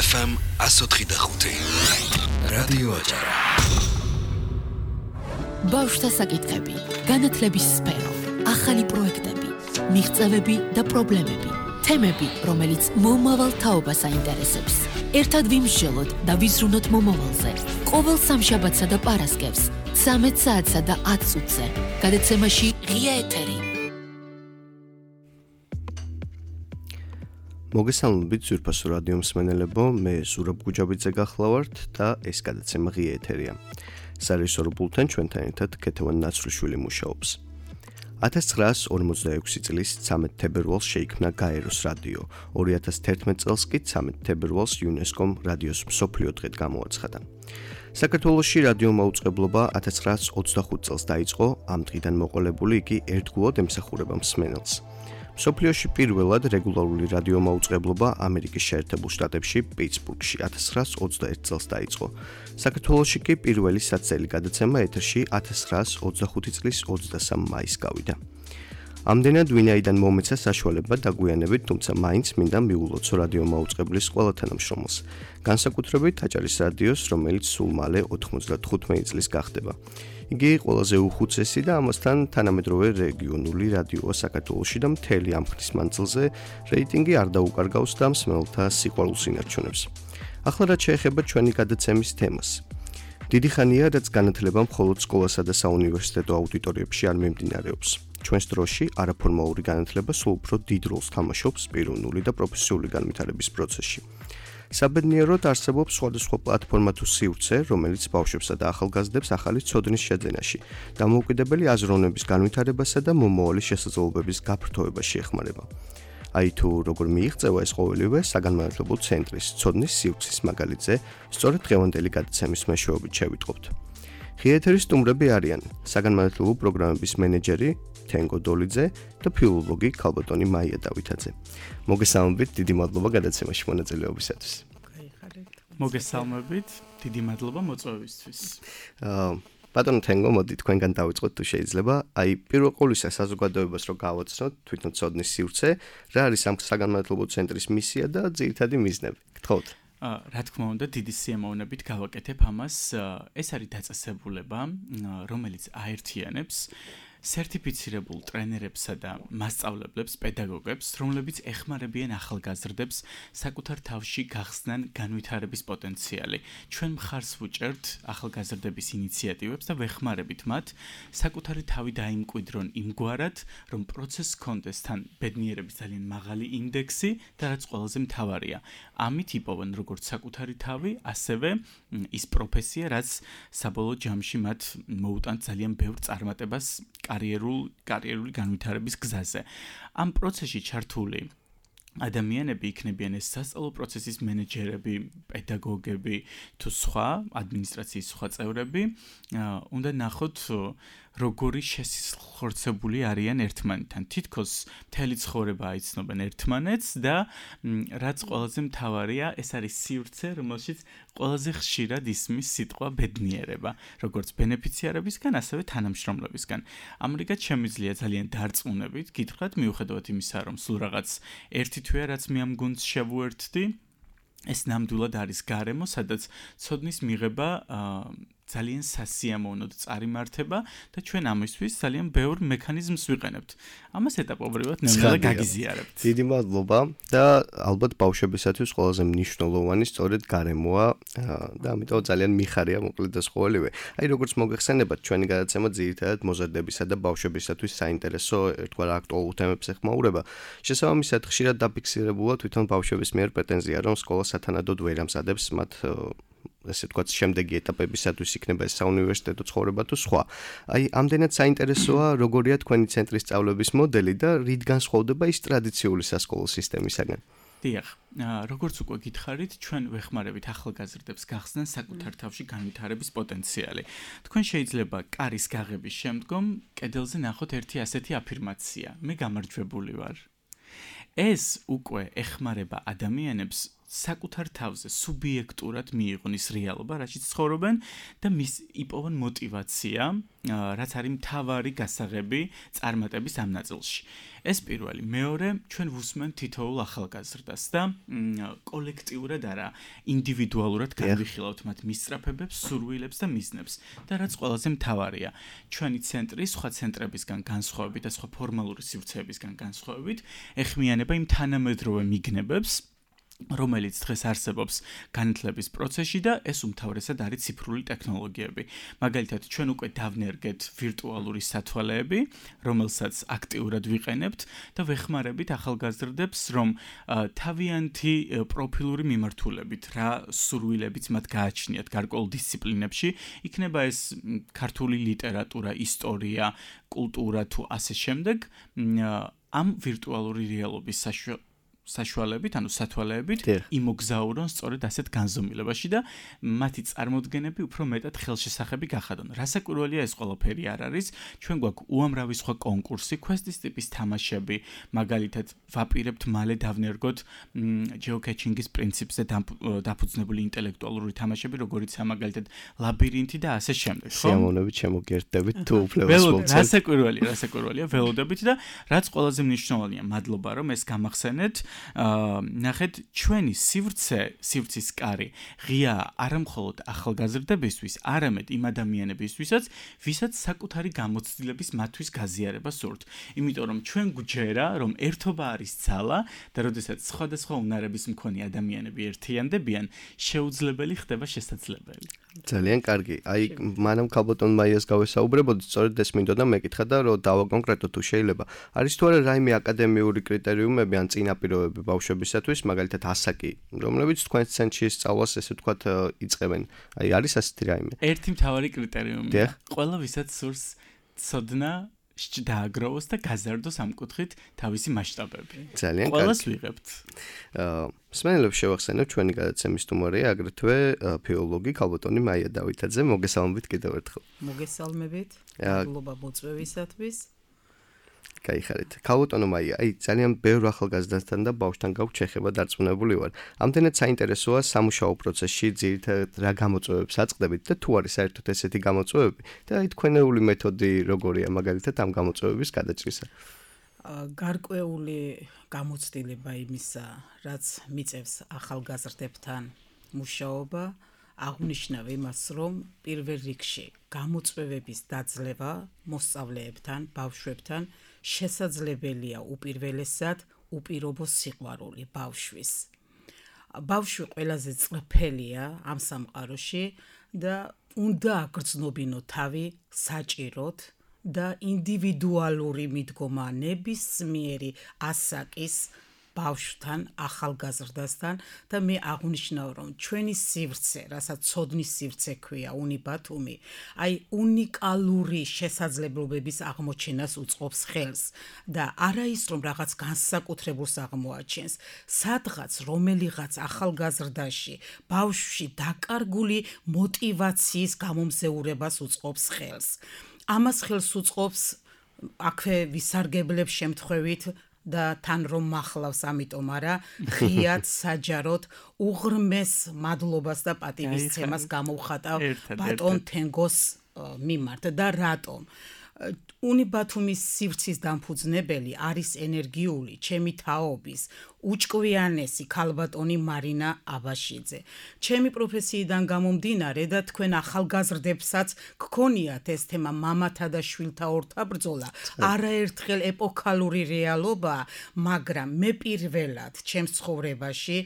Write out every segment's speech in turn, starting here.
FM 104.5 რადიო აჭარა. ბავშვთა საკითხები, განათლების სფერო, ახალი პროექტები, მიღწევები და პრობლემები, თემები, რომელიც მომავალ თაობას აინტერესებს. ერთად ვიმსჯელოთ და ვიზრუნოთ მომავალზე. ყოველ სამშაბათსა და პარასკევს, 13 საათსა და 10 წუთზე. გადაცემაში ღია ეთერი. მოგესალმებით ძვირფასო რადიო მსმენელებო, მე ზურაბ გუჯაბიძე გახლავართ და ეს გადაცემა ღია ეთერია. სარეჟისორო პულტთან ჩვენთან ერთად ქეთევან ნაცვლიშვილი მუშაობს. 1946 წლის 13 თებერვალს შეიქმნა გაეროს რადიო. 2011 წელს კი 13 თებერვალს იუნესკომ რადიოს მსოფლიო დღედ გამოაცხადა. საქართველოში რადიო მაუწყებლობა 1925 წელს დაიწყო, ამ დღიდან მოყოლებული იგი ერთგულად ემსახურება მსმენელს. მსოფლიოში პირველად რეგულარული რადიო მაუწყებლობა ამერიკის შეერთებულ შტატებში, პიტსბურგში 1921 წელს დაიწყო. საქართველოში კი პირველი საცელი გადაცემა ეთერში 1925 წლის 23 მაისს გავიდა. ამდენად ვინაიდან მომეცა საშუალება დაგვიანებით, თუმცა მაინც მინდა მიულოცო რადიო მაუწყებლის ყველა თანამშრომელს, განსაკუთრებით აჭარის რადიოს, რომელიც სულ მალე 95 წლის გახდება. იგი ყველაზე უხუცესი და ამასთან თანამედროვე რეგიონული რადიოა საქართველოში და მთელი ამ ხნის მანძილზე რეიტინგი არ დაუკარგავს და მსმენელთა სიყვარულს ინარჩუნებს. ახლა რაც შეეხება ჩვენი გადაცემის თემას. დიდი ხანია, რაც განათლება მხოლოდ სკოლასა და საუნივერსიტეტო აუდიტორიებში არ მიმდინარეობს. ჩვენს დროში არაფორმალური განათლება სულ უფრო დიდ როლს თამაშობს პიროვნული და პროფესიული განვითარების პროცესში. საბედნიეროდ არსებობს სხვადასხვა პლატფორმა თუ სივრცე, რომელიც ბავშვებსა და ახალგაზრდებს ახალი ცოდნის შეძენაში, დამოუკიდებელი აზროვნების განვითარებასა და მომავალი შესაძლებლობების გაფართოებაში ეხმარება. აი თუ როგორ მიიღწევა ეს ყოველივე საგანმანათლებლო ცენტრის ცოდნის სივრცის მაგალითზე, სწორედ დღევანდელი გადაცემის მეშვეობით შევიტყობთ. ღია ეთერის სტუმრები არიან საგანმანათლებლო პროგრამების მენეჯერი თენგო დოლიძე და ფილოლოგი ქალბატონი მაია დავითაძე. მოგესალმებით, დიდი მადლობა გადაცემაში მონაწილეობისათვის. მოგესალმებით, დიდი მადლობა მოწვევისთვის. ბატონო თენგო, მოდი თქვენგან დავიწყოთ თუ შეიძლება. აი, პირველ ყოვლისა საზოგადოებას რო გავაცნოთ თვითონ ცოდნის სივრცე, რა არის ამ საგანმანათლებლო ცენტრის მისია და ძირითადი მიზნები? გთხოვთ. რა თქმა უნდა, დიდი სიამოვნებით გავაკეთებ ამას. ეს არის დაწესებულება, რომელიც აერთიანებს სერტიფიცირებულ ტრენერებსა და მასწავლებლებს, პედაგოგებს, რომლებიც ეხმარებიან ახალგაზრდებს საკუთარ თავში გახსნან განვითარების პოტენციალი. ჩვენ მხარს ვუჭერთ ახალგაზრდების ინიციატივებს და ვეხმარებით მათ საკუთარი თავი დაიმკვიდრონ იმგვარად, რომ პროცესს ჰქონდეს თან ბედნიერების ძალიან მაღალი ინდექსი და რაც ყველაზე მთავარია. ამით იპოვონ როგორც საკუთარი თავი, ასევე ის პროფესია, რაც საბოლოო ჯამში მათ მოუტანთ ძალიან ბევრ წარმატებას კარიერული განვითარების გზაზე. ამ პროცესში ჩართული ადამიანები იქნებიან ეს სასწავლო პროცესის მენეჯერები, პედაგოგები თუ სხვა ადმინისტრაციის სხვა წევრები, უნდა ნახოთ როგორი შესახორცებული არიან ერთმანეთთან. თითქოს მთელი ცხოვრება აიცნობენ ერთმანეთს და რაც ყველაზე მთავარია, ეს არის სივრცე, რომელშიც ყველაზე ხშირად ისმის სიტყვა ბედნიერება, როგორც ბენეფიციარებისგან, ასევე თანამშრომლებისგან. ამრიგად შემიძლია ძალიან დარწმუნებით გითხრათ, მიუხედავად იმისა, რომ სულ რაღაც ერთი თვეა, რაც მე ამ გუნდს შევუერთდი, ეს ნამდვილად არის გარემო, სადაც ცოდნის მიღება ძალიან სასიამოვნოდ წარიმართება და ჩვენ ამისთვის ძალიან ბევრ მექანიზმს ვიყენებთ. ამას ეტაპობრივად ნელ-ნელა გაგიზიარებთ. დიდი მადლობა და ალბათ ბავშვებისათვის ყველაზე მნიშვნელოვანი სწორედ გარემოა და ამიტომ ძალიან მიხარია მოკლედ ეს ყოველივე. აი როგორც მოგეხსენებათ, ჩვენი გადაცემა ძირითადად მოზარდებისა და ბავშვებისათვის საინტერესო ერთგვარ აქტუალურ თემებს ეხმაურება. შესაბამისად, ხშირად დაფიქსირებულა თვითონ ბავშვების მიერ პრეტენზია, რომ სკოლა სათანადოდ ვერ ამზადებს მათ ესე ვთქვათ, შემდეგი ეტაპებისათვის იქნება ეს საუნივერსიტეტო ცხოვრება თუ სხვა. აი, ამდენად საინტერესოა, როგორია თქვენი ცენტრის სწავლების მოდელი და რით განსხვავდება ის ტრადიციული სასკოლო სისტემისაგან. დიახ, როგორც უკვე გითხარით, ჩვენ ვეხმარებით ახალგაზრდებს გახსნან საკუთარ თავში განვითარების პოტენციალი. თქვენ შეიძლება კარის გაღების შემდგომ კედელზე ნახოთ ერთი ასეთი აფირმაცია: მე გამარჯვებული ვარ. ეს უკვე ეხმარება ადამიანებს საკუთარ თავზე სუბიექტურად მიიღონ ის რეალობა, რაშიც ცხოვრობენ და მის იპოვონ мотивация, რაც არის მთავარი გასაღები წარმატების ამ ნაწილში. ეს პირველი, მეორე, ჩვენ ვუსმენთ თითოეულ ახალგაზრდას და კოლექტიურად არა, ინდივიდუალურად განვიხილავთ მათ მისწრაფებებს, სურვილებს და მიზნებს. და რაც ყველაზე მთავარია, ჩვენი ცენტრი სხვა ცენტრებისგან განსხვავებით და სხვა ფორმალური სივრცეებისგან განსხვავებით, ეხმიანება იმ თანამედროვე მიგნებებს, რომელიც დღეს არსებობს განათლების პროცესში და ეს უმთავრესად არის ციფრული ტექნოლოგიები. მაგალითად, ჩვენ უკვე დავნერგეთ ვირტუალური სათვალეები, რომელსაც აქტიურად ვიყენებთ და ვეხმარებით ახალგაზრდებს, რომ თავიანთი პროფილური მიმართულებით რა სურვილებიც მათ გააჩნიათ გარკვეულ დისციპლინებში, იქნება ეს ქართული ლიტერატურა, ისტორია, კულტურა თუ ასე შემდეგ, ამ ვირტუალური რეალობის საშუალებით, ანუ სათვალეებით იმოგზაურონ სწორედ ასეთ განზომილებაში და მათი წარმოდგენები უფრო მეტად ხელშესახები გახადონ. რასაკვირველია ეს ყველაფერი არ არის. ჩვენ გვაქვს უამრავი სხვა კონკურსი, quest-ის ტიპის თამაშები, მაგალითად, ვაპირებთ მალე დავნერგოთ geocaching-ის პრინციპზე დაფუძნებული ინტელექტუალური თამაშები, როგორიცაა მაგალითად ლაბირინთი და ასე შემდეგ. სიამოვნებით შემოგერთდებით თუ უფლებას მოგცემთ. რასაკვირველია ველოდებით და რაც ყველაზე მნიშვნელოვანია, მადლობა რომ ეს გამახსენეთ. ნახეთ, ჩვენი სივრცის კარი ღია არა მხოლოდ ახალგაზრდებისთვის, არამედ იმ ადამიანებისთვისაც, ვისაც საკუთარი გამოცდილების მათთვის გაზიარება სურთ. იმიტომ რომ ჩვენ გვჯერა, რომ ერთობა არის ძალა და როდესაც სხვადასხვა უნარების მქონე ადამიანები ერთიანდებიან, შეუძლებელი ხდება შესაძლებელი. ძალიან კარგი. აი, მანამ ქალბატონ მაიას გავესაუბრებოდი, სწორედ ეს მინდოდა მეკითხა და რომ დავაკონკრეტო თუ შეიძლება. არის თუ არა რაიმე აკადემიური კრიტერიუმები ან წინაპირობები ბავშვებისათვის, მაგალითად ასაკი, რომლებიც თქვენ ცენტრში სწავლას ესე ვთქვათ იწყებენ. აი, არის ასეთი რაიმე? ერთი მთავარი კრიტერიუმია. ყველა ვისაც სურს ცოდნა დააგროვოს და გაზარდოს ამ კუთხით თავისი მასშტაბები. ძალიან კარგი. ყველას ვიღებთ. მსმენელებს შევახსენებ ჩვენი გადაცემის სტუმარია, აგრეთვე ფილოლოგი ქალბატონი მაია დავითაძე. მოგესალმებით კიდევ ერთხელ. მოგესალმებით. მადლობა მოწვევისათვის. გაიხარეთ. ქალბატონო მაია, აი ძალიან ბევრ ახალგაზრდასთან და ბავშვთან გაქვთ შეხება დარწმუნებული ვარ. ამდენად საინტერესოა სამუშაო პროცესში ძირითადად რა გამოწვევებს აწყდებით და თუ არის საერთოდ ესეთი გამოწვევები და აი თქვენეული მეთოდი როგორია მაგალითად ამ გამოწვევების გადაჭრისა? გარკვეული გამოცდილება იმისა, რაც მიწევს ახალგაზრდებთან მუშაობა, აღნიშნავ იმას, რომ პირველ რიგში გამოწვევების დაძლევა მოსწავლეებთან, ბავშვებთან შესაძლებელია უპირველესად უპირობო სიყვარული ბავშვის. ბავშვი ყველაზე წრფელია ამ სამყაროში და უნდა აგრძნობინო თავი საჭიროდ და ინდივიდუალური მიდგომა ნებისმიერი ასაკის ბავშვთან, ახალგაზრდასთან და მე აღნიშნავ, რომ ჩვენი სივრცე, რასაც ცოდნის სივრცე ქვია, უნიბათუმი, აი უნიკალური შესაძლებლობების აღმოჩენას უწყობს ხელს და არა ის, რომ რაღაც განსაკუთრებულს აღმოაჩენს, სადღაც რომელიღაც ახალგაზრდაში, ბავშვში დაკარგული мотиваციის გამომზეურებას უწყობს ხელს. ამას ხელს უწყობს აქვე ვისარგებლებს შემთხვევით და თან რომ მახლავს, ამიტომ არა, ღიად საჯაროდ უღრმეს მადლობას და პატივისცემას გამოვხატავ ბატონ თენგოს მიმართ და რატომ? უნიბათუმის სივრცის დამფუძნებელი არის ენერგიული, ჩემი თაობის, უჭკვიანესი ქალბატონი მარინა აბაშიძე. ჩემი პროფესიიდან გამომდინარე და თქვენ ახალგაზრდებსაც გქონიათ ეს თემა მამათა და შვილთა ორთაბრძოლა, არაერთხელ ეპოქალური რეალობაა, მაგრამ მე პირველად ჩემს ცხოვრებაში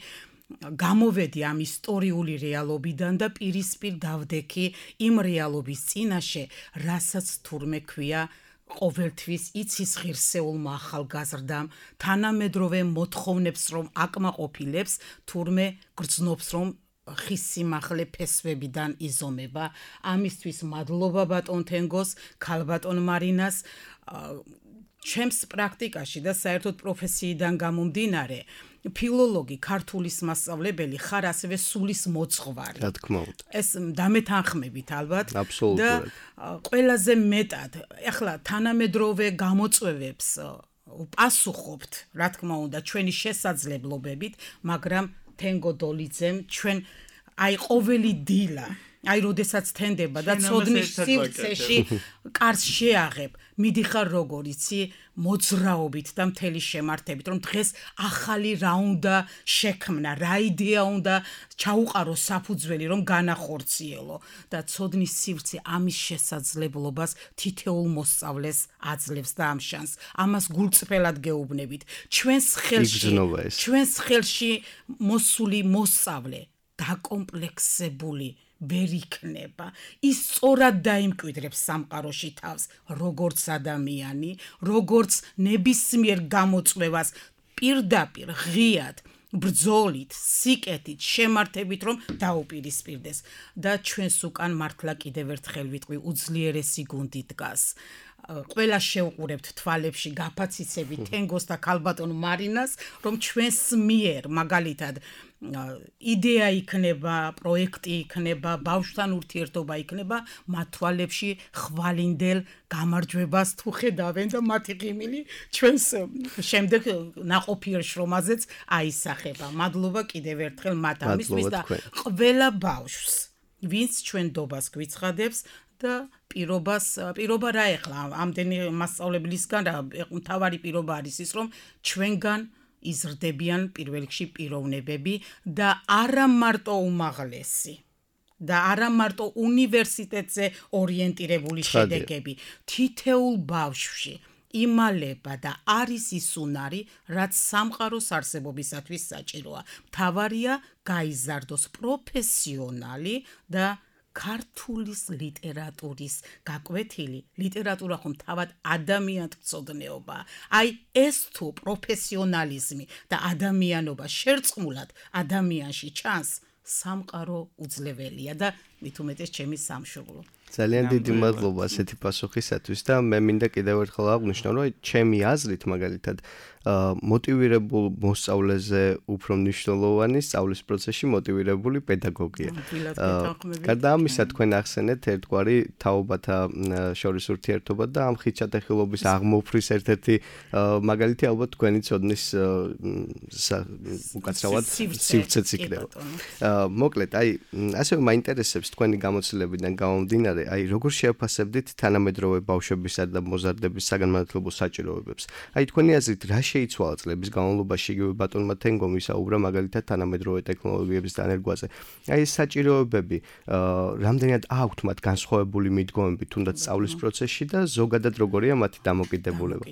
გამოვედი ამ ისტორიული რეალობიდან და პირისპირ დავდექი იმ რეალობის წინაშე, რასაც თურმე ქვია ყოველთვის იცის ღირსეულმა ახალგაზრდამ, თანამედროვე მოთხოვნებს რომ აკმაყოფილებს, თურმე გრძნობს რომ ხის სიმაღლე ფესვებიდან იზომება. ამისთვის მადლობა ბატონ თენგოს, ქალბატონ მარინას. ჩემს პრაქტიკაში და საერთოდ პროფესიიდან გამომდინარე, ფილოლოგი, ქართულის მასწავლებელი ხარ ასევე სულის მოძღვარი. რა თქმა უნდა. ეს დამეთანხმებით ალბათ. აბსოლუტურად. და ყველაზე მეტად, ახლა თანამედროვე გამოწვევებს პასუხობთ, რა თქმა უნდა, ჩვენი შესაძლებლობებით, მაგრამ თენგო დოლიძემ ჩვენ აი ყოველი დილა აი როდესაც თენდება და ცოდნის სივრცეში კარს შეაღებ მიდიხარ როგორ იცი მოძრაობით და მთელი შემართებით რომ დღეს ახალი რა უნდა შექმნა რა იდეა უნდა ჩაუყარო საფუძველი რომ განახორციელო და ცოდნის სივრცე ამის შესაძლებლობას თითოეულ მოსწავლეს აძლევს და ამშანს ამას გულწრფელად გეუბნებით ჩვენს ხელში მოსული მოსწავლე დაკომპლექსებული ვერ იქნება ის სწორად დაიმკვიდრებს სამყაროში თავს როგორც ადამიანი როგორც ნებისმიერ გამოწვევას პირდაპირ ღიად ბრძოლით სიკეთით შემართებით რომ დაუპირისპირდეს და ჩვენს უკან მართლა კიდევ ერთხელ ვიტყვი უძლიერესი გუნდი დგას ყველა შევყურებთ თვალებში გაფაციცებით თენგოს და ქალბატონ მარინას რომ ჩვენს მიერ მაგალითად იდეა იქნება პროექტი იქნება ბავშვთან ურთიერთობა იქნება მათ თვალებში ხვალინდელ გამარჯვებას თუ ხედავენ და მათი ღიმილი ჩვენს შემდეგ ნაყოფიერ შრომაზეც აისახება მადლობა კიდევ ერთხელ მათ ამისთვის და ყველა ბავშვს ვინც ჩვენ დობას გვიცხადებს და პირობა რა ეხლა ამდენი მასწავლებლისგან რა მთავარი პირობა არის ის რომ ჩვენგან იზრდებიან პირველ რიგში პიროვნებები და არა მარტო უმაღლესი და არა მარტო უნივერსიტეტზე ორიენტირებული შედეგები თითოეულ ბავშვში იმალება და არის ის უნარი რაც სამყაროს არსებობისათვის საჭიროა მთავარია გაიზარდოს პროფესიონალი და ქართულის ლიტერატურის გაკვეთილი ლიტერატურა ხომ თავად ადამიანთმცოდნეობა აი ეს თუ პროფესიონალიზმი და ადამიანობა შერწყმულად ადამიანში ჩანს სამყარო უძლებელია და მით უმეტეს ჩემი სამშობლო ძალიან დიდი მადლობა ასეთი პასუხისათვის და მე მინდა კიდევ ერთხელ აღვნიშნო რომ ჩემი აზრით მაგალითად მოტივირებულ მოსწავლეზე უფრო მნიშვნელოვანი სწავლის პროცესში მოტივირებული პედაგოგია. გარდა ამისა თქვენ ახსენეთ ერთგვარი თაობათა შორის ურთიერთობა და ამ ხიჩატეხილობის აღმოფრის ერთ-ერთი მაგალითი ალბათ თქვენი ცოდნის უკაცრავად სივრცეც იქნება. მოკლედ, აი ასევე მაინტერესებს თქვენი გამოცდილებიდან გამომდინარე, აი როგორ შეაფასებდით თანამედროვე ბავშვებისა და მოზარდების საგანმანათლებლო საჭიროებებს. აი თქვენი აზრით რა შეიცვალა წლების განმავლობაში იგივე ბატონმა თენგომ ისაუბრა მაგალითად თანამედროვე ტექნოლოგიების დანერგვაზე. აი ეს საჭიროებები რამდენად აქვთ მათ განსხვავებული მიდგომები თუნდაც სწავლის პროცესში და ზოგადად როგორია მათი დამოკიდებულება?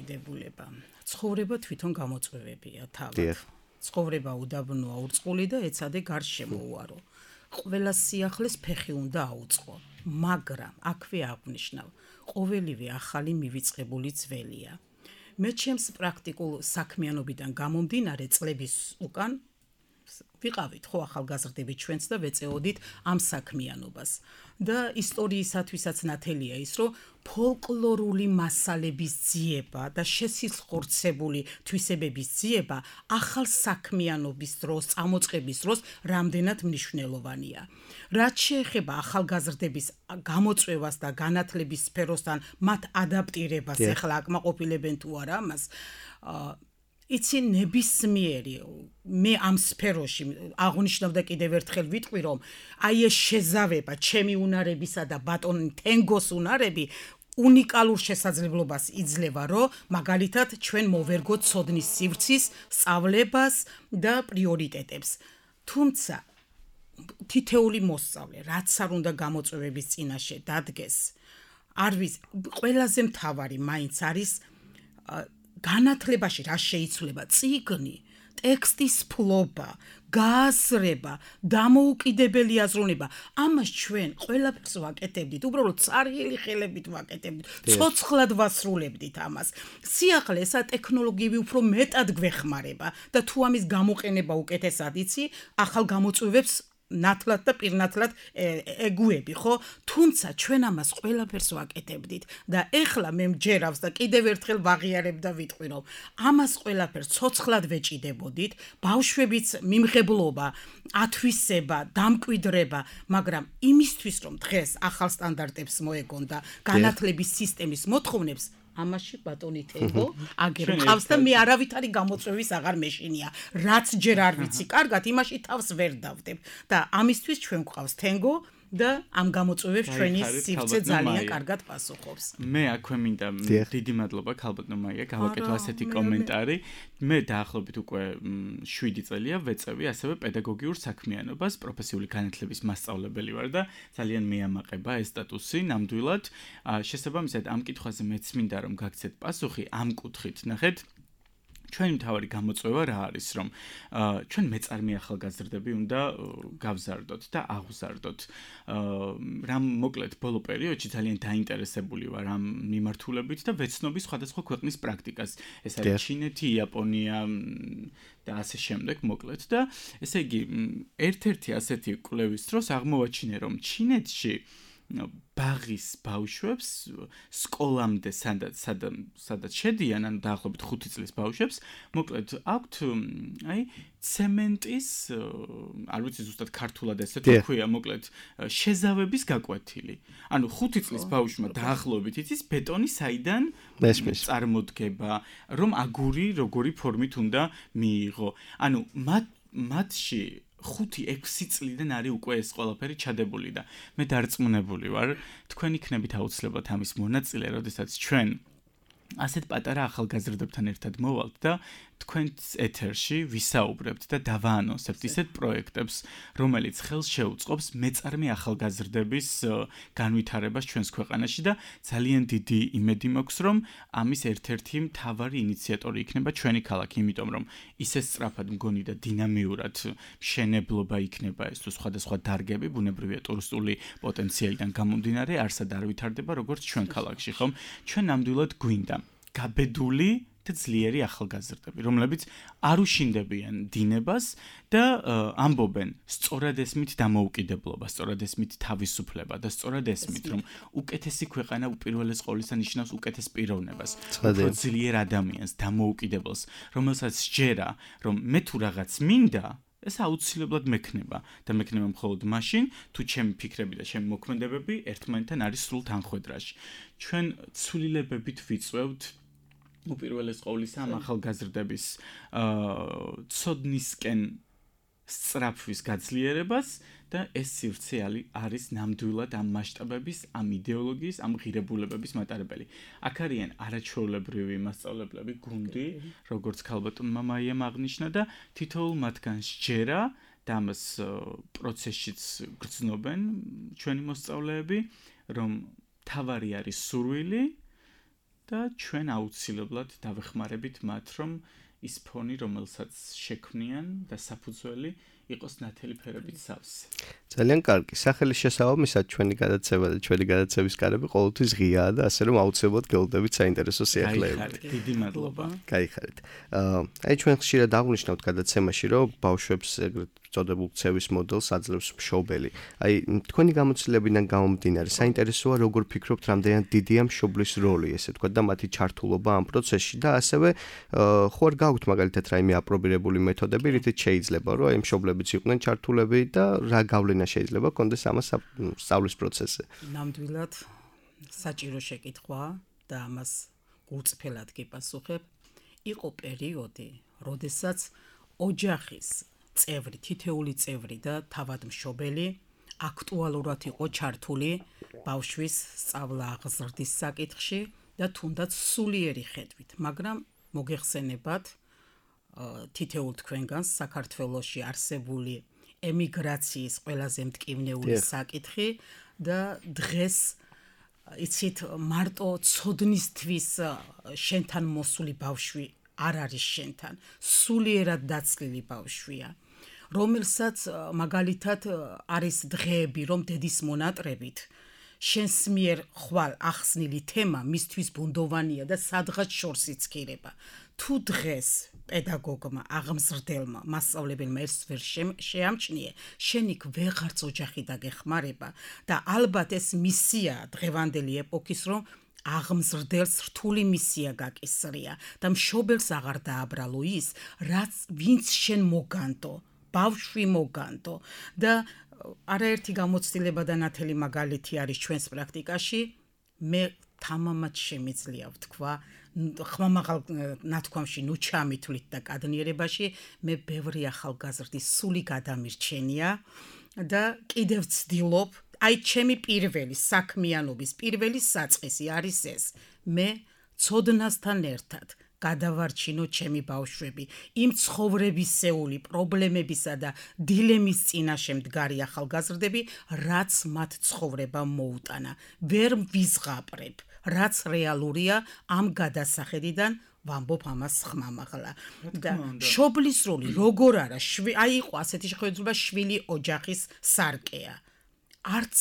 ცხოვრება თვითონ გამოწვევებია თავად. ცხოვრება უდაბნოა, ურწყული და ეცადე გარშემოუარო. ყველა სიახლეს ფეხი უნდა აუწყო, მაგრამ აქვე აღნიშნავ, ყოველივე ახალი მივიწყებული ძველია. მე ჩემს პრაქტიკულ საქმიანობიდან გამომდინარე წლების უკან ვიყავით ხო ახალგაზრდები ჩვენც და ვეწეოდით ამ საქმიანობას და ისტორიისათვისაც ნათელია ის რომ ფოლკლორული მასალების ძიება და შესიხორცებული თვისებების ძიება ახალ საქმიანობის დროს წამოწყების დროს რამდენად მნიშვნელოვანია რაც შეეხება ახალგაზრდების გამოწვევას და განათლების სფეროსთან მათ ადაპტირებას ეხლა აკმაყოფილებენ თუ არა ამას იცი ნებისმიერი მე ამ სფეროში აღნიშნავდა კიდევ ერთხელ ვიტყვი რომ აი ეს შეზავება ჩემი უნარებისა და ბატონ თენგოს უნარები უნიკალურ შესაძლებლობას იძლევა რომ მაგალითად ჩვენ მოვერგოთ ცოდნის სივრცის სწავლებას და პრიორიტეტებს თუმცა თითეული მოსწავლე რაც არ უნდა გამოწვევების წინაშე დადგეს არის ყველაზე მთავარი მაინც არის განათლებაში რა შეიცვლება წიგნი, ტექსტის ფლობა, გააზრება, დამოუკიდებელი აზროვნება. ამას ჩვენ ყველაფერს ვაკეთებდით, უბრალოდ წარიელი ხელებით ვაკეთებდით, ცოცხლად ვასრულებდით ამას. სიახლე ესა ტექნოლოგიები უფრო მეტად გვეხმარება და თუ ამის გამოყენება უკეთესად იცი, ახალ გამოწვევებს ნათლად და პირნათლად ეგუები, ხო? თუმცა ჩვენ ამას ყველაფერს ვაკეთებდით და ეხლა მე მჯერავს და კიდევ ერთხელ ვაღიარებ და ვიტყვი რომ ამას ყველაფერს ცოცხლად ვეჭიდებოდით, ბავშვებიც მიმღებლობა, ათვისება, დამკვიდრება, მაგრამ იმისთვის რომ დღეს ახალ სტანდარტებს მოეგონ და განათლების სისტემის მოთხოვნებს ამაში ბატონი თენგო აგერ მყავს და მე არავითარი გამოწვევის აღარ მეშინია რაც ჯერ არ ვიცი კარგად იმაში თავს ვერ დავდებ და ამისთვის ჩვენ გვყავს თენგო და ამ გამოწვევებს ჩვენი სივრცე ძალიან კარგად პასუხობს. მე აქვე მინდა დიდი მადლობა ქალბატონო მაია, გავაკეთე ასეთი კომენტარი. მე დაახლოებით უკვე 7 წელია ვეწევი ასევე პედაგოგიურ საქმიანობას, პროფესიული განათლების მასწავლებელი ვარ და ძალიან მეამაყება ეს სტატუსი ნამდვილად. შესაბამისად ამ კითხვაზე მეც მინდა რომ გაგცეთ პასუხი ამ კუთხით. ნახეთ ჩვენი მთავარი გამოწვევა რა არის, რომ ჩვენ მეწარმე ახალგაზრდები უნდა გავზარდოთ და აღვზარდოთ. რამ მოკლედ ბოლო პერიოდში ძალიან დაინტერესებული ვარ ამ მიმართულებით და ვეცნობი სხვადასხვა ქვეყნის პრაქტიკას. ეს არის ჩინეთი, იაპონია და ასე შემდეგ მოკლედ და ესე იგი ერთ-ერთი ასეთი კვლევის დროს აღმოვაჩინე, რომ ჩინეთში ბაღის ბავშვებს სკოლამდე სადაც შედიან, ანუ დაახლოებით 5 წლის ბავშვებს, მოკლედ აქვთ აი ცემენტის, არ ვიცი ზუსტად ქართულად ესე თუ ქვია, მოკლედ შეზავების გაკვეთილი. ანუ 5 წლის ბავშვმა დაახლოებით იცის ბეტონი საიდან წარმოდგება, რომ აგური როგორი ფორმით უნდა მიიღო. ანუ მათში 5-6 წლიდან არის უკვე ეს ყველაფერი ჩადებული და მე დარწმუნებული ვარ, თქვენ იქნებით აუცილებლად ამის მონაწილე, როდესაც ჩვენ ასეთ პატარა ახალგაზრდებთან ერთად მოვალთ და თქვენს ეთერში ვისაუბრებთ და დავაანონსებთ ისეთ პროექტებს, რომელიც ხელს შეუწყობს მეწარმე ახალგაზრდების განვითარებას ჩვენს ქვეყანაში და ძალიან დიდი იმედი მაქვს, რომ ამის ერთ-ერთი მთავარი ინიციატორი იქნება ჩვენი ქალაქი, იმიტომ რომ ისე სწრაფად მგონი და დინამიურად მშენებლობა იქნება ეს თუ სხვადასხვა დარგები, ბუნებრივია ტურისტული პოტენციალიდან გამომდინარე, არსად არ ვითარდება როგორც ჩვენ ქალაქში, ხომ? ჩვენ ნამდვილად გვინდა გაბედული და ძლიერი ახალგაზრდები, რომლებიც არ უშინდებიან დინებას და ამბობენ სწორად ესმით დამოუკიდებლობა, სწორად ესმით თავისუფლება და სწორად ესმით, რომ უკეთესი ქვეყანა უპირველეს ყოვლისა ნიშნავს უკეთეს პიროვნებას, უფრო ძლიერ ადამიანს, დამოუკიდებელს, რომელსაც სჯერა, რომ მე თუ რაღაც მინდა ეს აუცილებლად მექნება და მექნება მხოლოდ მაშინ, თუ ჩემი ფიქრები და ჩემი მოქმედებები ერთმანეთთან არის სრულ თანხვედრაში. ჩვენ ცვლილებებით ვიწვევთ უპირველეს ყოვლისა ამ ახალგაზრდების ცოდნისკენ სწრაფვის გაძლიერებას და ეს სივრცე არის ნამდვილად ამ მასშტაბების, ამ იდეოლოგიის, ამ ღირებულებების მატარებელი. აქ არიან არაჩვეულებრივი მასწავლებლები, გუნდი, როგორც ქალბატონმა მაიამ აღნიშნა და თითოეულ მათგან სჯერა და ამას პროცესშიც გრძნობენ ჩვენი მოსწავლეები, რომ თავარი არის სურვილი და ჩვენ აუცილებლად დავეხმარებით მათ, რომ ის ფონი, რომელსაც შექმნიან და საფუძველი იყოს ნათელი ფერებით სავსე. ძალიან კარგი. სახელის შესაბამისად ჩვენი გადაცემა და ჩვენი გადაცემის კარები ყოველთვის ღიაა და ასე რომ აუცილებლად გეულდებით საინტერესო სიახლეებით. დიდი მადლობა. გაიხარეთ. აი ჩვენ ხშირად აღვნიშნავთ გადაცემაში, რომ ბავშვებს ეგრეთ წოდებულ ქცევის მოდელს აძლევს მშობელი. აი თქვენი გამოცდილებიდან გამომდინარე, საინტერესოა როგორ ფიქრობთ, რამდენად დიდია მშობლის როლი, ესე ვთქვათ, და მათი ჩართულობა ამ პროცესში და ასევე ხო არ გაქვთ მაგალითად რაიმე აპრობირებული მეთოდები, რითიც შეიძლება რომ აი მშობლებიც იყვნენ ჩართულები და რა გავლენა შეიძლება კონდეს ამას სწავლის პროცესზე. ნამდვილად საჭირო შეკითხვაა და ამას გულწრფელად გიპასუხებ. იყო პერიოდი, როდესაც ოჯახის წევრი, თითეული წევრი და თავად მშობელი აქტუალურად იყო ჩართული ბავშვის სწავლა-აღზრდის საკითხში და თუნდაც სულიერი ხედვით, მაგრამ მოგეხსენებათ თითეულ თქვენგანს საქართველოში არსებული ემიგრაციის ყველაზე მტკივნეული საკითხი და დღეს იცით მარტო ცოდნისთვის შენთან მოსული ბავშვი არ არის შენთან, სულიერად დაცლილი ბავშვია, რომელსაც მაგალითად არის დღეები, რომ დედის მონატრებით შენს მიერ ხვალ ახსნილი თემა მისთვის ბუნდოვანია და სადღაც შორს იცქირება. თუ დღეს პედაგოგმა, აღმზრდელმა, მასწავლებელმა ეს ვერ შეამჩნიე, შენ იქ ვეღარც ოჯახი დაგეხმარება და ალბათ ეს მისია დღევანდელი ეპოქის, რომ აღმზრდელს რთული მისია გაკისრია და მშობელს აღარ დააბრალო ის, რაც ვინც შენ მოგანდო, ბავშვი მოგანდო და არაერთი გამოცდილება და ნათელი მაგალითი არის ჩვენს პრაქტიკაში. მე თამამად შემიძლია ვთქვა ხმამაღალ ნათქვამში ნუ ჩამითვლით და კადნიერებაში მე ბევრი ახალგაზრდის სული გადამირჩენია და კიდევ ვცდილობ აი ჩემი პირველი საქმიანობის პირველი საწყისი არის ეს მე ცოდნასთან ერთად გადავარჩინო ჩემი ბავშვები იმ ცხოვრებისეული პრობლემებისა და დილემის წინაშე მდგარი ახალგაზრდები რაც მათ ცხოვრება მოუტანა ვერ ვიზღაპრებ რაც რეალურია ამ გადასახედიდან ვამბობ ამას ხმამაღლა და შობლის როლი როგორ არა აი იყო ასეთი შეხედულება შვილი ოჯახის სარკეა არც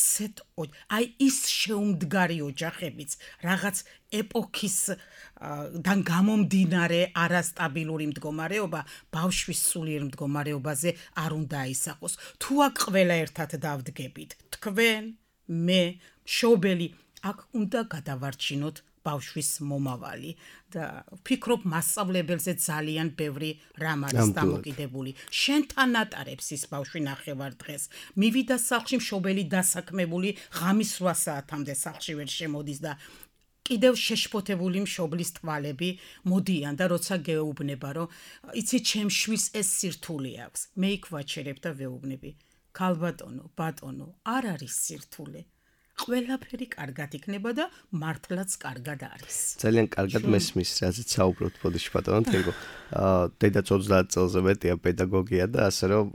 აი ის შეუმდგარი ოჯახებიც რაღაც ეპოქისდან გამომდინარე არასტაბილური მდგომარეობა ბავშვის სულიერ მდგომარეობაზე არ უნდა აისახოს თუ აქ ყველა ერთად დავდგებით თქვენ მე შობელი აქ უნდა გადავარჩინოთ ბავშვის მომავალი და ვფიქრობ მასწავლებელზე ძალიან ბევრი რამ არის დამოკიდებული შენთან ატარებს ის ბავშვი ნახევარ-დღეს მივიდა სახლში მშობელი დასაქმებული ღამის 8 საათამდე სახლში ვერ შემოდის და კიდევ შეშფოთებული მშობლის თვალები მოდიან და როცა გეუბნება რომ იცი ჩემ შვილს ეს სირთულე აქვს მე იქ ვაჩერებ და ვეუბნები ქალბატონო ბატონო არ არის სირთულე ყველაფერი კარგად იქნება და მართლაც კარგად არის. ძალიან კარგად მესმის, რაზეც საუბრობთ ბოდიში ბატონო თენგო. დედაც 30 წელზე მეტია პედაგოგია და ასე რომ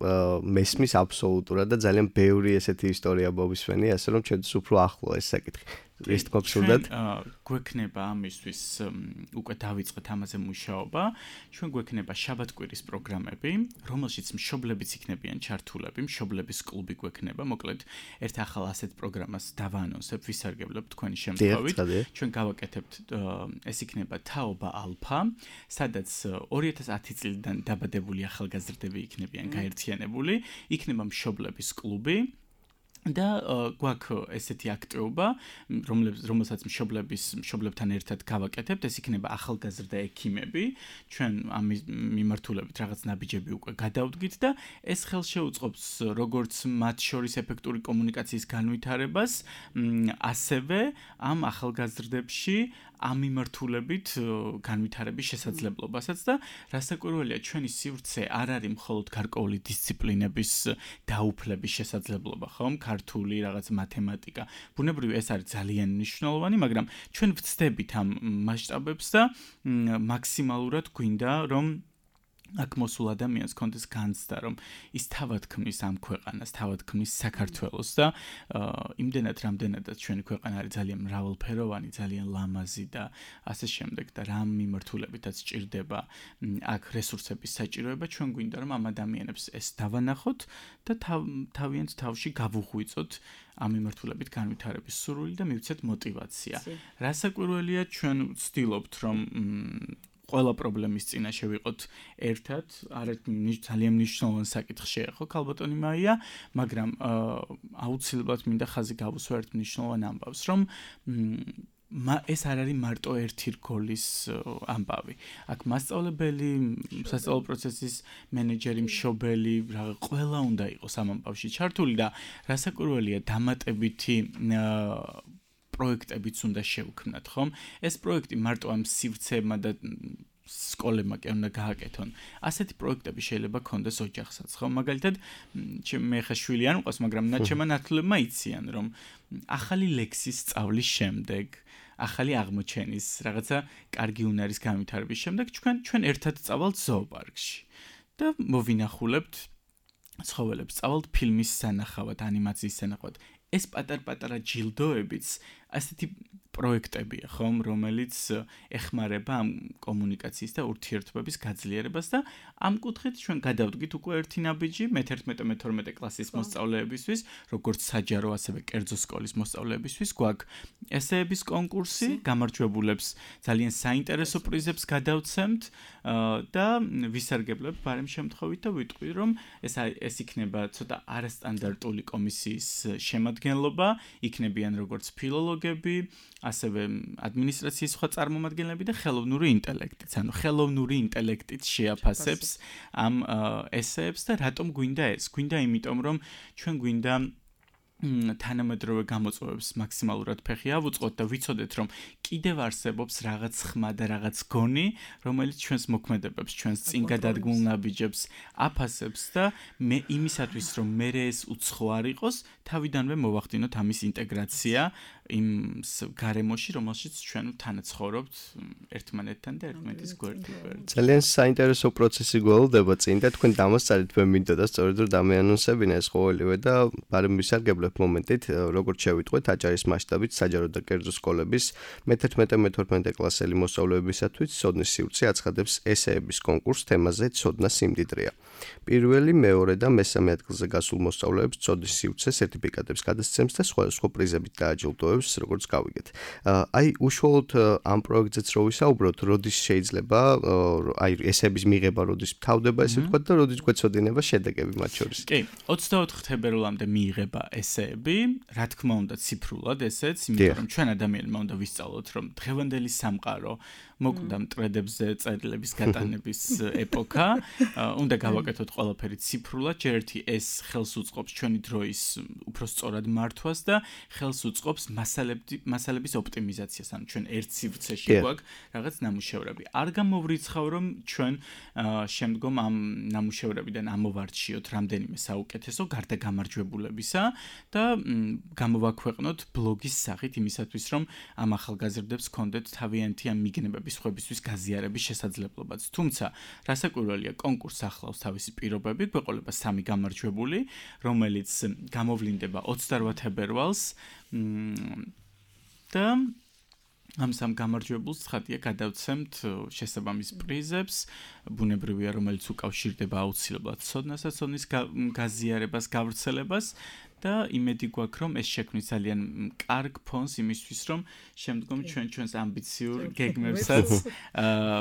მესმის აბსოლუტურად და ძალიან ბევრი ესეთი ისტორია მოვისმენი, ასე რომ ჩვენც უფრო ახლო ეს საკითხი. ეს გქონდათ გვექნება ამისთვის უკვე დავიწყეთ ამაზე მუშაობა ჩვენ გვექნება შაბათ-კვირის პროგრამები რომელშიც მშობლებიც იქნებიან ჩართულები მშობლების კლუბი გვექნება მოკლედ ერთ ახალ ასეთ პროგრამას დავაანონსებ ვისარგებლებ თქვენი შემთხვევით ჩვენ გავაკეთებთ ეს იქნება თაობა ალფა სადაც 2010 წლიდან დაბადებული ახალგაზრდები იქნებიან გაერთიანებული იქნება მშობლების კლუბი და გვაქვს ესეთი აქტივობა, რომელსაც მშობლებთან ერთად გავაკეთებთ, ეს იქნება ახალგაზრდა ექიმები, ჩვენ ამის მიმართულებით რაღაც ნაბიჯები უკვე გადავდგით და ეს ხელშეუწყობს როგორც მათ შორის ეფექტური კომუნიკაციის განვითარებას, ასევე ამ ახალგაზრდებში ამ მიმართულებით განვითარების შესაძლებლობასაც და რასაკვირველია ჩვენი სივრცე არ არის მხოლოდ გარკვეული დისციპლინების დაუფლების შესაძლებლობა, ხომ? ქართული, რაღაც მათემატიკა. ბუნებრივია ეს არის ძალიან მნიშვნელოვანი, მაგრამ ჩვენ ვცდებით ამ მასშტაბებს და მაქსიმალურად გვინდა რომ აქ მოსულ ადამიანს კონდეს განცდა რომ ის თავად ქმნის ამ ქვეყანას, თავად ქმნის საქართველოს და იმდენად რამდენადაც ჩვენი ქვეყანა არის ძალიან მრავალფეროვანი, ძალიან ლამაზი და ასე შემდეგ და რამ მიმართულებითაც ჭირდება აქ რესურსების საჭიროება, ჩვენ გვინდა რომ ამ ადამიანებს ეს დავანახოთ და თავიანთ თავში გავუღვიწოთ ამ მიმართულებით განვითარების სურვილი და მივცეთ мотиваცია. რასაკვირველია ჩვენ ვცდილობთ რომ ყველა პრობლემის წინაშე ვიყოთ ერთად, ძალიან მნიშვნელოვანი საკითხია ხო ქალბატონი მაია, მაგრამ აუცილებლად მინდა ხაზი გავუსვა ერთ მნიშვნელოვან ამბავს, რომ ეს არ არის მარტო ერთი რგოლის ამბავი. აქ მასწავლებელი, სასწავლო პროცესის მენეჯერი, მშობელი, ყველა უნდა იყოს ამ ამბავში ჩართული და რასაკვირველია დამატებითი პროექტებიც უნდა შევქმნათ, ხომ? ეს პროექტი მარტო ამ სივრცეებმა და სკოლებმა კი უნდა გააკეთონ. ასეთი პროექტები შეიძლება კონდეს ოჯახსაც, ხომ? მაგალითად, მე ხა შვილი არ მყავს, მაგრამ ჩემმა ნათლებმა იციან, რომ ახალი ლექსის სწავლის შემდეგ, ახალი აღმოჩენის, რაღაცა კარგი უნარის განვითარების შემდეგ ჩვენ ერთად წავალთ ზოოპარკში და მოვინახულებთ ცხოველებს, წავალთ ფილმის სანახავად, ანიმაციის სანახავად. ეს პატარ-პატარა ჯილდოებიც ასეთი პროექტებია, ხომ, რომელიც ეხმარება ამ კომუნიკაციის და ურთიერთობების გაძლიერებას და ამ კუთხით ჩვენ გადავდგით უკვე ერთი ნაბიჯი მე-11-მე-12 კლასის მოსწავლეებისთვის, როგორც საჯარო, ასევე კერძო სკოლის მოსწავლეებისთვის გვაქვს ესეების კონკურსი, გამარჯვებულებს ძალიან საინტერესო პრიზებს გადავცემთ და ვისარგებლებ ბარემ შემთხვევით და ვიტყვი, რომ ეს იქნება ცოტა არასტანდარტული კომისიის შემადგენლობა, იქნებიან როგორც ფილოლოგები, ასევე ადმინისტრაციის სხვა წარმომადგენლები და ხელოვნური ინტელექტიც. ანუ ხელოვნური ინტელექტით შეაფასებს ამ ესეებს და რატომ გვინდა ეს? გვინდა იმიტომ, რომ ჩვენ გვინდა თანამედროვე გამოწვევებს მაქსიმალურად ფეხი ავუწყოთ და ვიცოდეთ, რომ კიდევ არსებობს რაღაც ხმა და რაღაც გონი, რომელიც ჩვენს მოქმედებებს, ჩვენს წინ გადადგმულ ნაბიჯებს აფასებს და მე იმისათვის, რომ მე ეს უცხო არ იყოს, თავიდანვე მოვახდინოთ ამის ინტეგრაცია იმ გარემოში, რომელშიც ჩვენ თანაცხოვრობთ ერთმანეთთან და ერთმანეთის გვერდით. ძალიან საინტერესო პროცესი გველდება წინ და თქვენ დამასწარეთ მე მინდოდა სწორედ რომ დამეანონსებინა ეს ყოველივე და ბარემ ვისარგებლებ მომენტით როგორც შევიტყვეთ აჭარის მასშტაბით საჯარო და კერძო სკოლების მე-11-მე-12 კლასელი მოსწავლეებისათვის ცოდნის სივრცე აცხადებს ესეების კონკურს თემაზე ცოდნა სიმდიდრეა. პირველი, მეორე და მესამე ადგილზე გასულ მოსწავლეებს ცოდნის სივრცე სერტიფიკატებს გადასცემს და სხვა პრიზებით დააჯილდოებს, როგორც გავიგეთ. აი უშუალოდ ამ პროექტზეც რო ვისაუბროთ, როდის შეიძლება აი ესეების მიღება როდის თავდება ესე ვთქვათ და როდის გვეცოდინება შედეგები მათ შორის. კი, 24 თებერვლამდე მიიღება ესეები, რა თქმა უნდა ციფრულად ესეც, იმიტომ რომ ჩვენ ადამიანებმა უნდა ვისწავლოთ, რომ დღევანდელი სამყარო მოკვდა მტრედებზე წერილების გატანების ეპოქა, უნდა გავაკეთოთ ყველაფერი ციფრულად, ჯერ ერთი ეს ხელს უწყობს ჩვენი დროის უფრო სწორად მართვას და ხელს უწყობს მასალების ოპტიმიზაციას, ანუ ჩვენ ერთ სივრცეში გვაქვს რაღაც ნამუშევრები. არ გამოვრიცხავ, რომ ჩვენ შემდგომ ამ ნამუშევრებიდან ამოვარჩიოთ რამდენიმე საუკეთესო გარდა გამარჯვებულებისა და გამოვაქვეყნოთ ბლოგის სახით იმისათვის, რომ ამ ახალგაზრდებს ჰქონდეთ თავიანთი ამ მიგნებების სხვებისთვის გაზიარების შესაძლებლობაც. თუმცა, რასაკვირველია, კონკურსს ახლავს თავისი პირობები, გვეყოლება 3 გამარჯვებული, რომელიც გამოვლინდება 28 თებერვალს და ამ სამ გამარჯვებულს ცხადია გადავცემთ შესაბამის პრიზებს, ბუნებრივია, რომელიც უკავშირდება აუცილებლად ცოდნასა, ცოდნის გაზიარებას, გავრცელებას და იმედი გვაქვს, რომ ეს შექმნის ძალიან კარგ ფონს იმისთვის, რომ შემდგომ ჩვენს ამბიციურ გეგმებსაც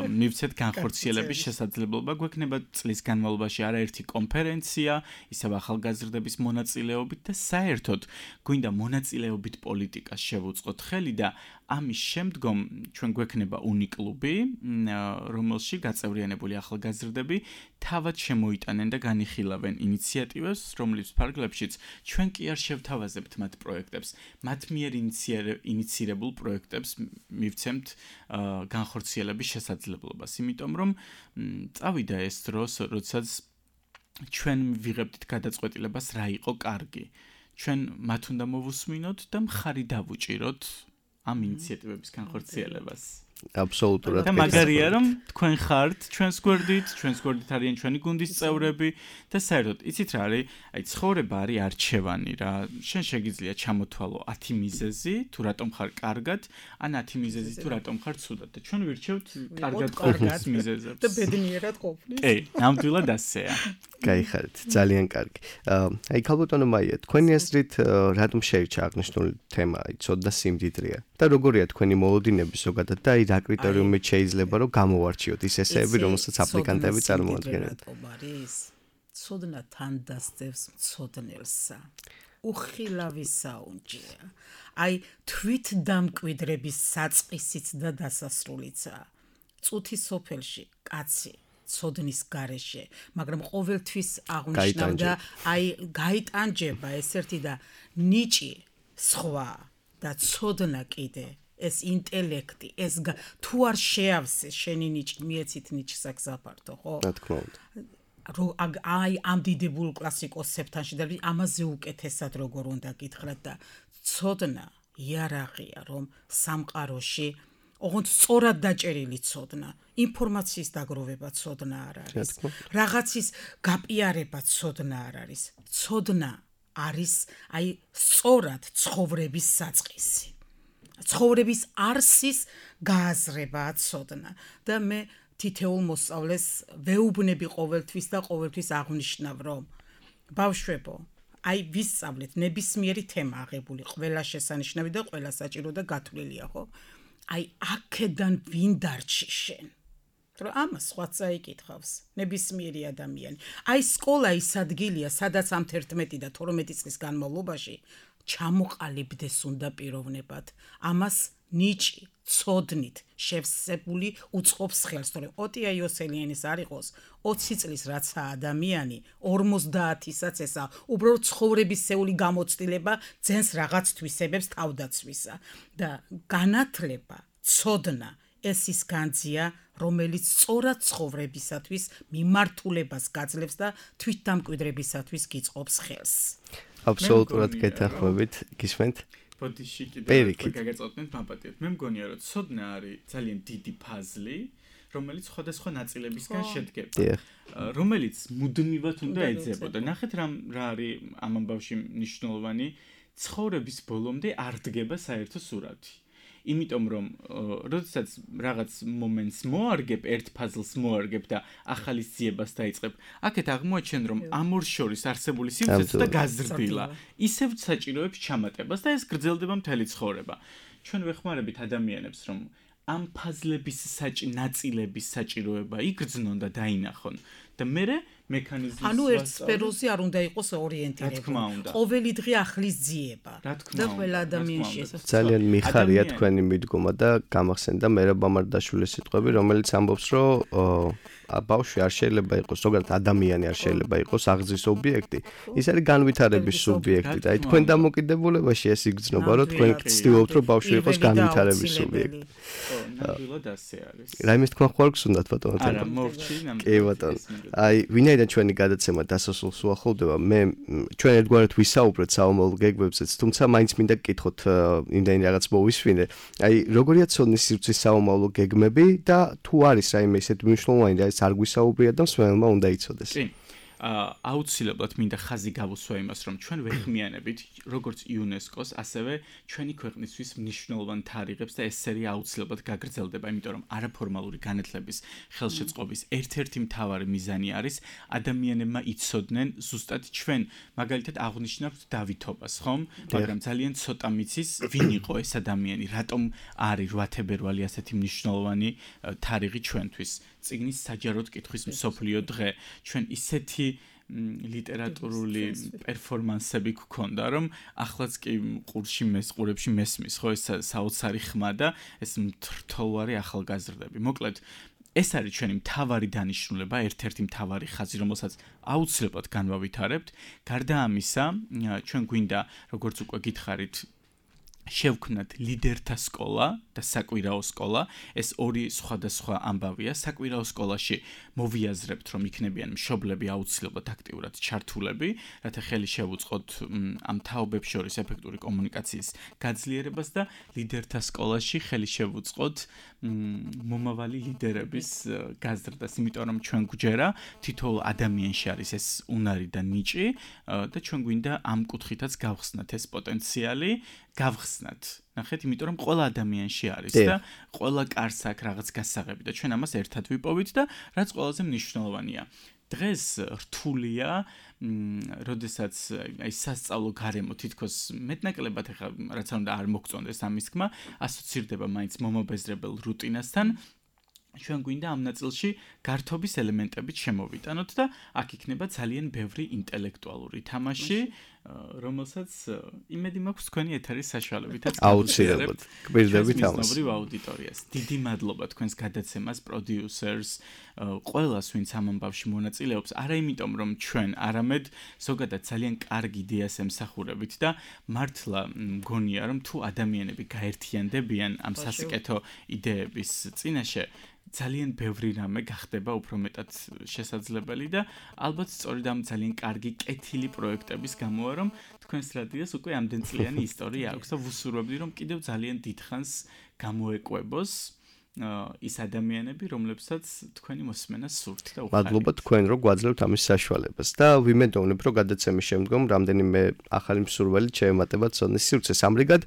მივცეთ განხორციელების შესაძლებლობა. გვექნება წლის განმავლობაში არაერთი კონფერენცია, ისევ ახალგაზრდების მონაწილეობით და საერთოდ გვინდა მონაწილეობით პოლიტიკას შევუწყოთ ხელი და ამის შემდგომ ჩვენ გვექნება უნიკლუბი, რომელში გაწევრიანებული ახალგაზრდები თავად შემოიტანენ და განიხილავენ ინიციატივებს, რომლის ფარგლებშიც ჩვენ კი არ შევთავაზებთ მათ პროექტებს, მათ მიერ ინიცირებულ პროექტებს მივცემთ განხორციელების შესაძლებლობას, იმიტომ რომ წავიდა ეს დრო, როდესაც ჩვენ ვიღებდით გადაწყვეტილებას რა იყო კარგი. ჩვენ მათ უნდა მოვუსმინოთ და მხარი დავუჭიროთ ამ ინიციატივების განხორციელებას. აბსოლუტურად. და მაგარია რომ თქვენ ხართ ჩვენს გვერდით არიან ჩვენი გუნდის წევრები და საერთოდ იცით რა არის? აი ცხოვრება არის არჩევანი რა. შენ შეგიძლია ჩამოთვალო 10 მიზეზი, თუ რატომ ხარ კარგად, ან 10 მიზეზი თუ რატომ ხარ ცუდად. და ჩვენ ვირჩევთ კარგად ყოფნის მიზეზებს. და ბედნიერად ყოფნის. კი, ნამდვილად ასეა. გაიხარეთ, ძალიან კარგი. აი ქალბატონო მაია, თქვენი აზრით რატომ შეირჩა აღნიშნული თემა, აი ცოდნა სიმდიდრეა? და როგორია თქვენი მოლოდინები ზოგადად და აი რა კრიტერიუმით შეიძლება რომ გამოვარჩიოთ ის ესეები, რომელსაც აპლიკანტები წარმოადგენენ? ცოდნა თან დასწევს მცოდნელსა. უხილავი საუნჯეა. აი თვით დამკვიდრების საწყისიც და დასასრულიცაა. წუთი სოფელში კაცი ცოდნის გარეშე, მაგრამ ყოველთვის აღნიშნავდა აი გაიტანჯება ეს ერთი და ნიჭი სხვა და ცოდნა კიდე ეს ინტელექტი ეს თუ არ შეავსე შენი ნიჭი მიეცით ნიჭს აგზაფართო ხო? რა თქმა უნდა. აი ამ დიდებულ კლასიკოსებთან შედარებით ამაზე უკეთესად როგორ უნდა გითხრათ და ცოდნა იარაღია რომ სამყაროში ოღონდ სწორად დაჭერილი ცოდნა, ინფორმაციის დაგროვება ცოდნა არ არის. რაღაცის გაპიარება ცოდნა არ არის. ცოდნა არის აი სწორად ცხოვრების საწყისი. ცხოვრების არსის გააზრებაა ცოდნა და მე თითეულ მოსწავლეს ვეუბნები ყოველთვის და ყოველთვის აღნიშნავ რომ ბავშვებო აი ვისწავლეთ ნებისმიერი თემა აღებული ყველა შესანიშნავი და ყველა საჭირო და გათვლილია ხო აი აქედან ვინ დარჩი შენ რომ ამას სხვა წაიკითხავს ნებისმიერი ადამიანი აი სკოლა ის ადგილია სადაც ამ 11 და 12 წლის განმავლობაში ჩამოყალიბდეს უნდა პიროვნებად ამას ნიჭი ცოდნით შევსებული უწყობს ხელს, თორემ ოტია იოსელიანის არ იყოს 20 წლის რაცა ადამიანი 50-ისაც ესა უბრალოდ ცხოვრებისეული გამოცდილება ძენს რაღაც თვისებებს თავდაცვისა და განათლება, ცოდნა ეს ის განძია, რომელიც სწორად ცხოვრებისათვის მიმართულებას გაძლევს და თვითდამკვიდრებისათვის გიწყობს ხელს. აბსოლუტურად გეთანხმებით, გისმენთ? ბოდიში კიდე გაგაწოდნეთ მაპატიეთ. მე მგონია რომ ცოდნა არის ძალიან დიდი ფაზლი, რომელიც სხვადასხვა ნაწილებისგან შედგება. რომელიც მუდმივად უნდა ეძებოდა. ნახეთ რა არის ამ ამბავში მნიშვნელოვანი, ცხოვრების ბოლომდე არ დგება საერთო სურათი. იმიტომ რომ როდესაც რაღაც მომენტს მოარგებ, ერთ ფაზლს მოარგებ და ახალი ძიებას დაიწყებ, აქეთ აღმოაჩენ რომ ამ ორ შორის არსებული სივრცე და გაზრდილა, ისევ საჭიროებს ჩამატებას და ეს გრძელდება მთელი ცხოვრება. ჩვენ ვეხმარებით ადამიანებს რომ ამ ფაზლების ნაწილების საჭიროება იგრძნონ და დაინახონ და მერე მექანიზმის ანუ ერთ სფეროზე არ უნდა იყოს ორიენტირებული. ყოველი დღე ახლის ძიება. და ყველა ადამიანში ეს ძალიან მიხარია თქვენი მიდგომა და გამახსენდა მერაბ მამარდაშვილის სიტყვები, რომელიც ამბობს, რომ ბავშვი არ შეიძლება იყოს, ზოგადად ადამიანი არ შეიძლება იყოს აღზრდის ობიექტი. ის არის განვითარების სუბიექტი და აი თქვენ დამოკიდებულებაში ეს იგრძნობა, რომ თქვენ ცდილობთ, რომ ბავშვი იყოს განვითარების სუბიექტი. ნამდვილად ასე არის. რაიმეს თქვენ ხوار გსუნდათ ბატონო? არა, მორჩი ნამდვილად. კი ბატონო. აი, ვინაიდან ჩვენი გადაცემა დასასრულს უახლოვდება, მე ჩვენ ერთგვარად ვისაუბრეთ საომალ გეგმებზეც, თუმცა მაინც მინდა გკითხოთ იმდენი რაღაც მოვისვინე. აი, როგორია ცოდნის სივრცის საომალო გეგმები და თუ არის რაიმე ისეთ მნიშვნელოვანი და ეს არ გვისაუბრია და მსმენელმა უნდა იცოდეს. კი. აუცილებლად მინდა ხაზი გავუსვა იმას, რომ ჩვენ ვეხმიანებით როგორც იუნესკოს, ასევე ჩვენი ქვეყნისთვის მნიშვნელოვან თარიღებს და ეს სერია აუცილებლად გაგრძელდება, იმიტომ რომ არაფორმალური განათლების ხელშეწყობის ერთ-ერთი მთავარი მიზანი არის ადამიანებმა იცოდნენ ზუსტად ჩვენ მაგალითად აღვნიშნავთ დავითობას, ხომ? მაგრამ ძალიან ცოტა მიცის ვინ იყო ეს ადამიანი, რატომ არის 8 თებერვალი ასეთი მნიშვნელოვანი თარიღი ჩვენთვის. წიგნის საჯაროდ კითხვის მსოფლიო დღე, ჩვენ ისეთი ლიტერატურული პერფორმანსები გქონდა, რომ ახლაც კი ყურებში მესმის, ხო, ეს საოცარი ხმა და ეს მრთოლვარი ახალგაზრდები. მოკლედ, ეს არის ჩვენი მთავარი დანიშნულება, ერთ-ერთი მთავარი ხაზი, რომელსაც აუცილებლად განვავითარებთ. გარდა ამისა, ჩვენ გვინდა, როგორც უკვე გითხარით, შევქმნათ ლიდერთა სკოლა და საკვირაო სკოლა. ეს ორი სხვადასხვა ამბავია. საკვირაო სკოლაში მოვიაზრებთ, რომ იქნებიან მშობლები აუცილებლად აქტიურად ჩართულები, რათა ხელი შევუწყოთ ამ თაობებს შორის ეფექტური კომუნიკაციის გაძლიერებას და ლიდერთა სკოლაში ხელი შევუწყოთ მომავალი ლიდერების გაზრდას, იმიტომ რომ ჩვენ გვჯერა თითოეულ ადამიანში არის ეს უნარი და ნიჭი და ჩვენ გვინდა ამ კუთხითაც გავხსნათ ეს პოტენციალი, გავხსნათ. ნახეთ, იმიტომ რომ ყველა ადამიანში არის და ყველა კარს აქვს რაღაც გასაღები და ჩვენ ამას ერთად ვიპოვით და რაც ყველაზე მნიშვნელოვანია. დღეს რთულია, როდესაც აი სასწავლო გარემო თითქოს მეტნაკლებად ახლა რაც არ უნდა არ მოგწონდეს ამის თქმა, ასოცირდება მაინც მომობეზრებელ რუტინასთან. ჩვენ გვინდა ამ ნაწილში გართობის ელემენტებით შემოვიტანოთ და აქ იქნება ძალიან ბევრი ინტელექტუალური თამაში, რომელსაც იმედი მაქვს თქვენი ეთერის საშუალებითაც აუცილებლად გვერდებით ამას. მისნობრივ აუდიტორიას. დიდი მადლობა თქვენს გადაცემას, პროდიუსერს, ყველას, ვინც ამ ამბავში მონაწილეობს, არა იმიტომ რომ ჩვენ, არამედ ზოგადად ძალიან კარგი იდეას ემსახურებით და მართლა მგონია რომ თუ ადამიანები გაერთიანდებიან ამ სასიკეთო იდეების წინაშე, ძალიან ბევრი რამე გახდება უფრო მეტად შესაძლებელი და ალბათ სწორედ ამ ძალიან კარგი კეთილი პროექტების გამოა რომ თქვენს რადიოს უკვე ამდენწლიანი ისტორია აქვს და ვუსურვებდი რომ კიდევ ძალიან დიდხანს გამოეკვებოს ის ადამიანები, რომლებსაც თქვენი მოსმენა სურთ და უხარით. მადლობა თქვენ რომ გვაძლევთ ამის საშუალებას და ვიმედოვნებ რომ გადაცემის შემდგომ რამდენიმე ახალი მსურველი შეემატება ცოდნის სივრცეს. ამრიგად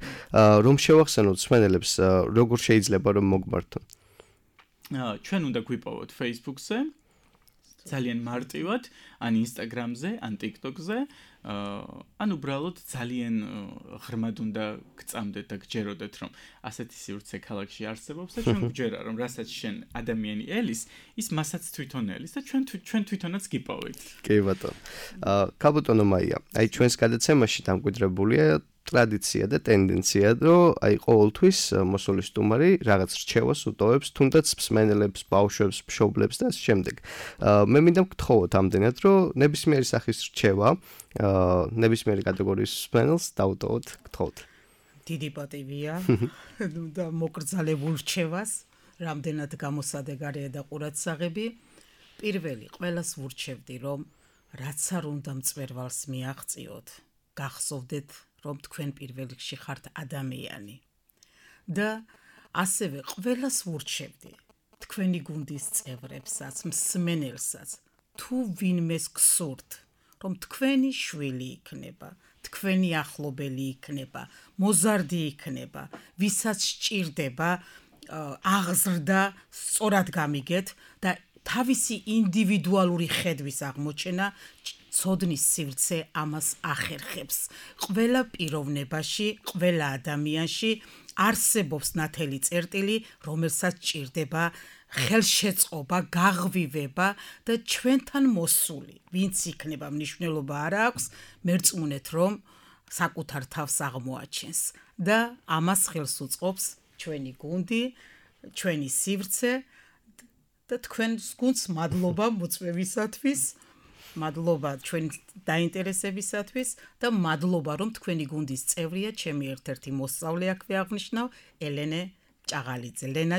რომ შევახსენოთ მსმენელებს როგორ შეიძლება რომ მოგმართონ. ჩვენ უნდა გვიპოვოთ Facebook-ზე, ძალიან მარტივად, ან Instagram-ზე, ან TikTok-ზე, ან უბრალოდ ძალიან ღრმად უნდა გწამდეთ და გჯეროდეთ, რომ ასეთი სივრცე ქალაქში არსებობს და ჩვენ გვჯერა, რომ რასაც შენ ადამიანი ელის, ის მასაც თვითონ ელის და ჩვენ თვითონაც გიპოვით. კი ბატონო. კაბუტონო მაია, აი ჩვენს გადაცემაში დამკვიდრებულია ტრადიცია და ტენდენცია, რომ აი ყოველთვის მოსული სტუმარი რაღაც რჩევას უტოვებს, თუნდაც მსმენელებს, ბავშვებს, მშობლებს და ასე შემდეგ. მე მინდა გთხოვოთ ამდენად, რომ ნებისმიერი სახის რჩევა, ნებისმიერი კატეგორიის მსმენელს დაუტოვოთ, გთხოვთ. დიდი პატივია და მოკრძალებულ რჩევას, რამდენად გამოსადეგარია და ყურადსაღები. პირველი, ყველას ვურჩევდი, რომ რაც არ უნდა მწვერვალს მიაღწიოთ, გახსოვდეთ, რომ თქვენ პირველ რიგში ხართ ადამიანი. და ასევე ყველას ვურჩევდი, თქვენი გუნდის წევრებსაც, მსმენელსაც, თუ ვინმეს გსურთ, რომ თქვენი შვილი იქნება, თქვენი ახლობელი იქნება, მოზარდი იქნება, ვისაც სჭირდება აღზრდა, სწორად გამიგეთ და თავისი ინდივიდუალური ხედვის აღმოჩენა ცოდნის სივრცე ამას ახერხებს. ყველა პიროვნებაში, ყველა ადამიანში არსებობს ნათელი წერტილი, რომელსაც სჭირდება ხელშეწყობა, გაღვივება და ჩვენთან მოსული. ვინც იქნება მნიშვნელობა არ აქვს, მერწმუნეთ რომ საკუთარ თავს აღმოაჩენს და ამას ხელს უწყობს ჩვენი გუნდი, ჩვენი სივრცე და თქვენს გუნდს მადლობა მოწვევისათვის, მადლობა ჩვენი დაინტერესებისათვის და მადლობა რომ თქვენი გუნდის წევრია, ჩემი ერთ-ერთი მოსწავლე აქვე აღნიშნავ, ლენა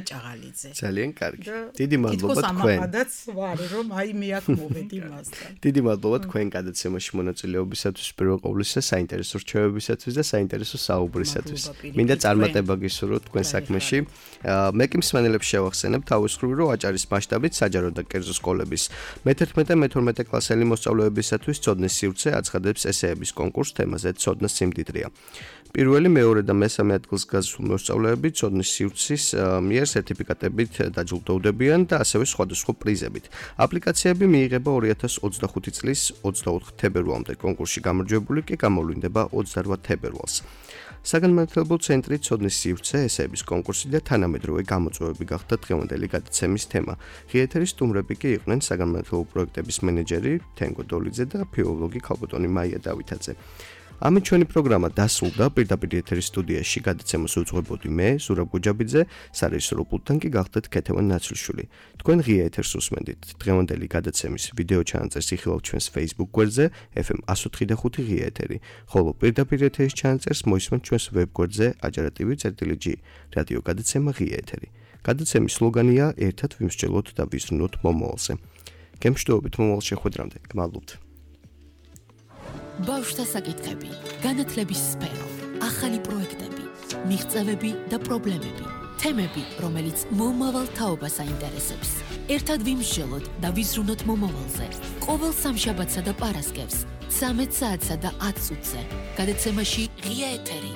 ჭაღალიძე. ძალიან კარგი. დიდი მადლობა თქვენ. თითქოს ამაყადაც ვარ, რომ აი მე აქ მოვედი მასთან. დიდი მადლობა თქვენ გადაცემაში მონაწილეობისათვის, პირველ ყოვლისა საინტერესო რჩევებისათვის და საინტერესო საუბრისათვის. მინდა წარმატება გისურვოთ თქვენ საქმეში. მე კი მსმენელებს შევახსენებ თავისუფლად, რომ აჭარის მასშტაბით საჯარო და კერძო სკოლების მე-11 და მე-12 კლასელი მოსწავლეებისათვის ცოდნის სივრცე აცხადებს ესეების კონკურს თემაზე ცოდნის სიმდიდრეა. პირველი, მეორე და მესამე ადგილს გასულ მოსწავლეები ცოდნის სივრცის მიერ სერტიფიკატებით დაჯილდოვდებიან და ასევე სხვადასხვა პრიზებით. აპლიკაციები მიიღება 2025 წლის 24 თებერვალამდე, კონკურსში გამარჯვებული კი გამოვლინდება 28 თებერვალს. საგანმანათლებლო ცენტრი ცოდნის სივრცე ესეების კონკურსი და თანამედროვე გამოწვევები გახდა დღევანდელი გადაცემის თემა. ღიეთერის სტუმრები კი იყვნენ საგანმანათლებლო პროექტების მენეჯერი თენგო დოლიძე და ფილოლოგი ქალბატონი მაია დავითაძე. ამით ჩვენი პროგრამა დასრულდა. პირდაპირ ეთერის სტუდიაში გადაცემას უძღვებოდი მე, ზურაბ გუჯაბიძე, სარეჟისორო პულტთან კი გახდათ ქეთევან ნაცრიშვილი. თქვენ ღია ეთერს უსმენდით. დღევანდელი გადაცემის ვიდეო ჩანაწერს იხილავთ ჩვენს Facebook გვერდზე FM 104.5 ღია ეთერი, ხოლო პირდაპირ ეთერის ჩანაწერს მოისმენთ ჩვენს ვებგვერდზე ajarativi.g რადიო გადაცემა ღია ეთერი. გადაცემის სლოგანია ერთად ვიმსჯელოთ და ვიზრუნოთ მომავალზე. გემშვიდობით მომავალ შეხვედრამდე. გმადლობთ. ბავშვთა საკითხები, განათლების სფერო, ახალი პროექტები, მიღწევები და პრობლემები, თემები, რომელიც მომავალ თაობას აინტერესებს. ერთად ვიმსჯელოთ და ვიზრუნოთ მომავალზე. ყოველ სამშაბათსა და პარასკევს 13 საათსა და 10 წუთზე. გადაცემაში ღია ეთერი.